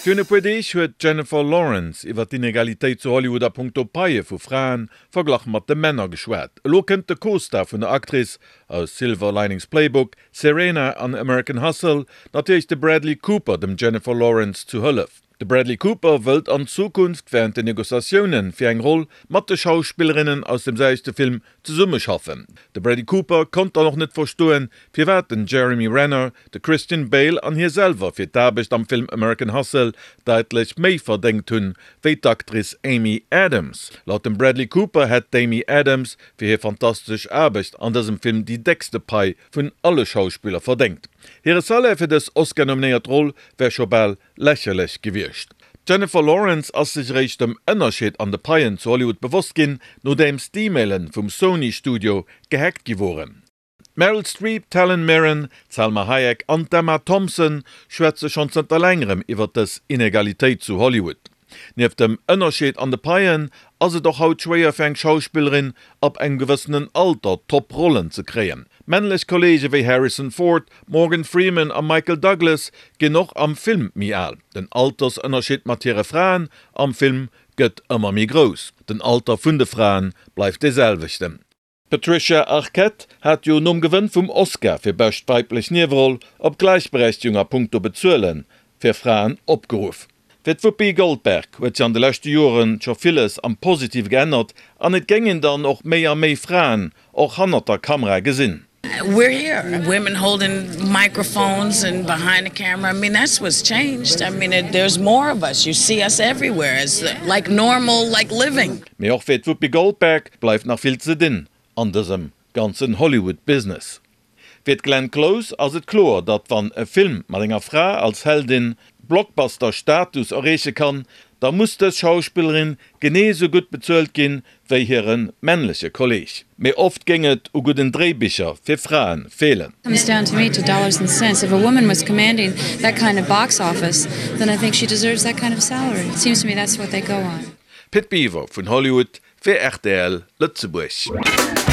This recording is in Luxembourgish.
Virun e puer Deeg huet d'Jennifer Lawrence iwwer d'Inegalitéit zu Hollywood a punkto Paie vu Fraen verglach mat de Männer geschwat. Elo kënnt de Co-Star vun der Actrice aus Silver Linings Playbook, Serena an American Hustle, natierlech de Bradley Cooper dem Jennifer Lawrence zu Hëllef. De Bradley Cooper wëllt an Zukunft wärend den Negociatioune fir eng Roll mat de Schauspillerinnen aus dem selwechte Film zesummeschaffen. De Bradley Cooper konnt dann och net verstoen, firwat den Jeremy Renner, de Christian Bale an hie selwer fir d'Aarbecht am Film American Hustle daitlech méi verdéngt hunn, wéi d'Actrice Amy Adams. Laut dem Bradley Cooper hätt d'Amy Adams fir hir fantastesch Aarbecht an dësem Film déi déckste Pai vun alle Schauspiller verdéngt. Hire Salaire fir dës Oscar-nominéiert Roll wär scho bal Lächerlech gewiescht. D'Jennifer Lawrence ass sech eréischt dem Ënnerscheed an de Paien zu Hollywood bewosst ginn, nodeems d'E-Mailen vum Sony Studio gehackt gi woren. D'Meryl Streep, d'Helen Mirren, d'Salma Hayek an d'Emma Thompson schwätze schonn zënter längerem iwwer dës Inegalitéit zu Hollywood. Nieft dem Ënnerscheed an de Paien ass et och haut schwéier fir eng Schauspillerin ab engem gewëssenen Alter top Rollen ze kréien. Männlech Kolleege wéi Harrison Ford, Morgan Freeman a Michael Douglas ginn och am Film méi al. Den Altersënnerscheed mat hire Fraen am Film gëtt ëmmer méi grouss. Den Alter vun de Frae bleift dee selwechten. D'Patricia Arquette hat jo nom Gewënn vum Oscar fir bescht weiblech Nieweroll op Gläichberechtegung a punkto Bezuele fir Fraen opgeruff. Fir d'Whoopi Goldberg huet sech an de leschte Jore scho villes am Positive geännert an et géingen dann och méi a méi Fraen och hannert der Kamera gesinn. We're here, women holding microphones and behind the camera, I mean that's what's changed, I mean there's more of us, you see us everywhere, it's like normal, like living. Mee och fir d'Whoopi Goldberg bleift nach vill ze dinn an dësem ganzen Hollywood-Business. Fir d'Glenn Close ass et kloer, datt wann e Film mat enger Fra als Heldin Blockbuster-Status erreeche kann, da muss dës Schauspillerin genee esou gutt bezuelt ginn, wéi hire männleche Kolleeg. Mee oft géing et u gudden Dréibicher fir Frae feelen. Comes down to me to dollars and cents. If a woman was commanding that kind of box office, then I think she deserves that kind of salary. It seems to me that's what they go on. Pit Biwer vun Hollywood fir rtl Lëtzebuerg.